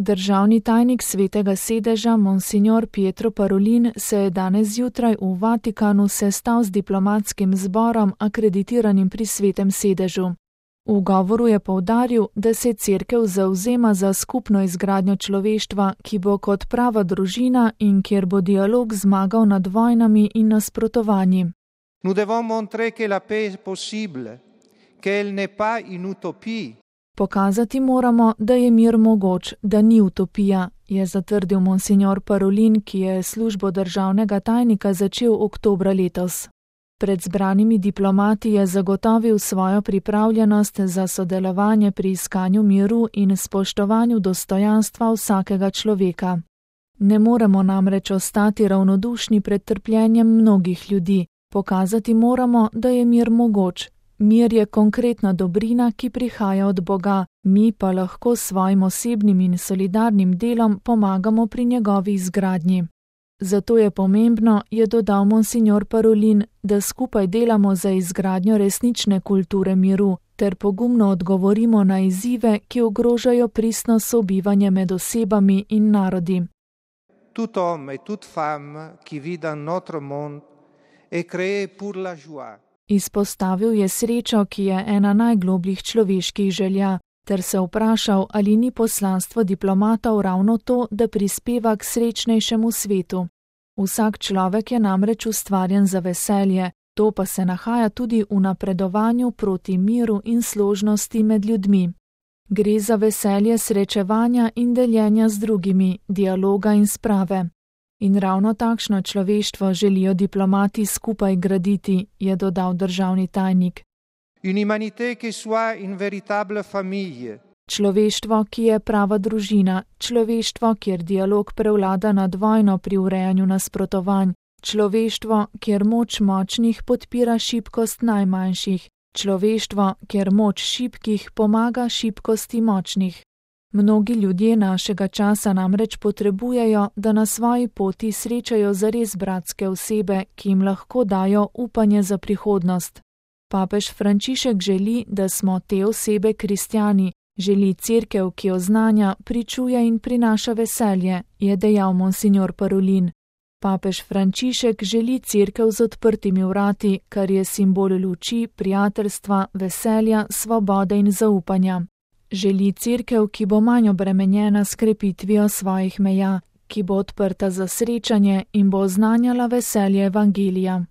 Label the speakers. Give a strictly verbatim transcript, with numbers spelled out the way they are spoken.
Speaker 1: Državni tajnik Svetega sedeža monsignor Pietro Parolin se je danes zjutraj v Vatikanu sestal z diplomatskim zborom akreditiranim pri Svetem sedežu. V govoru je poudaril, da se Cerkev zavzema za skupno izgradnjo človeštva, ki bo kot prava družina in kjer bo dialog zmagal nad vojnami in nasprotovanji.
Speaker 2: Nous devons montrer que la paix est possible, qu'elle n'est pas une utopie.
Speaker 1: Pokazati moramo, da je mir mogoč, da ni utopija, je zatrdil monsignor Parolin, ki je službo državnega tajnika začel oktobra letos. Pred zbranimi diplomati je zagotovil svojo pripravljenost za sodelovanje pri iskanju miru in spoštovanju dostojanstva vsakega človeka. Ne moremo namreč ostati ravnodušni pred trpljenjem mnogih ljudi. Pokazati moramo, da je mir mogoč. Mir je konkretna dobrina, ki prihaja od Boga, mi pa lahko s svojim osebnim in solidarnim delom pomagamo pri njegovi izgradnji. Zato je pomembno, je dodal monsignor Parolin, da skupaj delamo za izgradnjo resnične kulture miru, ter pogumno odgovorimo na izzive, ki ogrožajo pristno sobivanje med osebami in narodi.
Speaker 2: Tout homme et toute femme qui vit dans notre monde est créé pour la joie.
Speaker 1: Izpostavil je srečo, ki je ena najglobljih človeških želja, ter se vprašal, ali ni poslanstvo diplomatov ravno to, da prispeva k srečnejšemu svetu. Vsak človek je namreč ustvarjen za veselje, to pa se nahaja tudi v napredovanju proti miru in složnosti med ljudmi. Gre za veselje srečevanja in deljenja z drugimi, dialoga in sprave. In ravno takšno človeštvo želijo diplomati skupaj graditi, je dodal državni tajnik.
Speaker 2: Une humanité qui soit une véritable famille.
Speaker 1: Človeštvo, ki je prava družina, človeštvo, kjer dialog prevlada nad vojno pri urejanju nasprotovanj, človeštvo, kjer moč močnih podpira šibkost najmanjših, človeštvo, kjer moč šibkih pomaga šibkosti močnih. Mnogi ljudje našega časa namreč potrebujejo, da na svoji poti srečajo zares bratske osebe, ki jim lahko dajo upanje za prihodnost. Papež Frančišek želi, da smo te osebe kristjani, želi Cerkev, ki oznanja, pričuje in prinaša veselje, je dejal monsignor Parolin. Papež Frančišek želi Cerkev z odprtimi vrati, kar je simbol luči, prijateljstva, veselja, svobode in zaupanja. Želi Cerkev, ki bo manj obremenjena s krepitvijo svojih meja, ki bo odprta za srečanje in bo oznanjala veselje evangelija.